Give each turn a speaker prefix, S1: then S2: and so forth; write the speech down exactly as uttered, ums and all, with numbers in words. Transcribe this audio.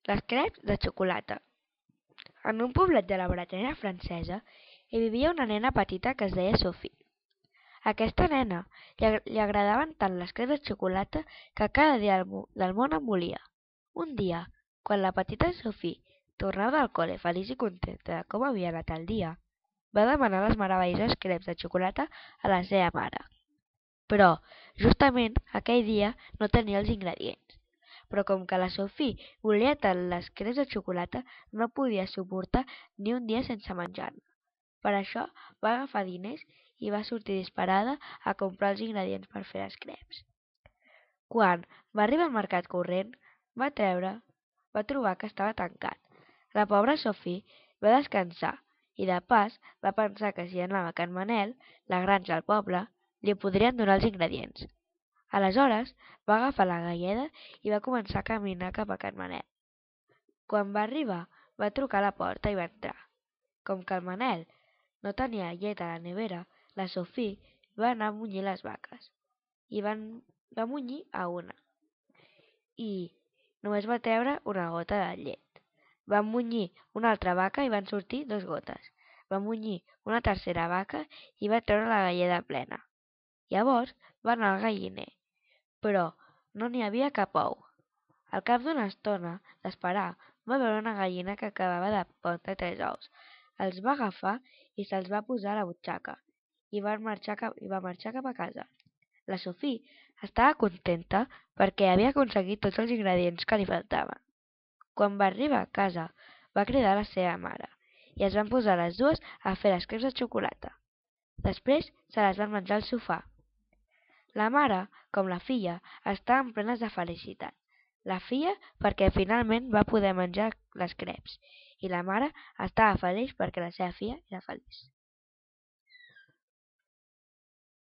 S1: Les creps de xocolata. En un poblet de la Bretanya francesa hi vivia una nena petita que es deia Sophie. A aquesta nena li, ag li agradaven tant les creps de xocolata que cada dia del món en volia. Un dia, quan la petita Sophie tornava del col·le feliç i contenta de com havia anat el dia, va demanar les meravelloses creps de xocolata a la seva mare. Però, justament, aquell dia no tenia els ingredients. Però com que la Sophie volia tant les creps de xocolata, no podia suportar ni un dia sense menjar-ne. Per això va agafar diners i va sortir disparada a comprar els ingredients per fer les creps. Quan va arribar al mercat corrent, va treure, va trobar que estava tancat. La pobra Sophie va descansar i de pas va pensar que si anava a Can Manel, la granja al poble, li podrien donar els ingredients. Aleshores va agafar la galleda i va començar a caminar cap a Can Manel. Quan va arribar, va trucar a la porta i va entrar. Com que el Manel no tenia llet a la nevera, la Sophie va anar a munyir les vaques. I van, va munyir a una. I només va treure una gota de llet. Va munyir una altra vaca i van sortir dues gotes. Va munyir una tercera vaca i va treure la galleda plena. Llavors va anar al galliner, però no n'hi havia cap ou. Al cap d'una estona d'esperar, va veure una gallina que acabava de pondre tres ous. Els va agafar i se'ls va posar a la butxaca i va marxar cap, i va marxar cap a casa. La Sophie estava contenta perquè havia aconseguit tots els ingredients que li faltaven. Quan va arribar a casa, va cridar a la seva mare i es van posar les dues a fer les creps de xocolata. Després se les van menjar al sofà. La mare, com la filla, estaven plenes de felicitat. La filla perquè finalment va poder menjar les creps i la mare estava feliç perquè la seva filla era feliç.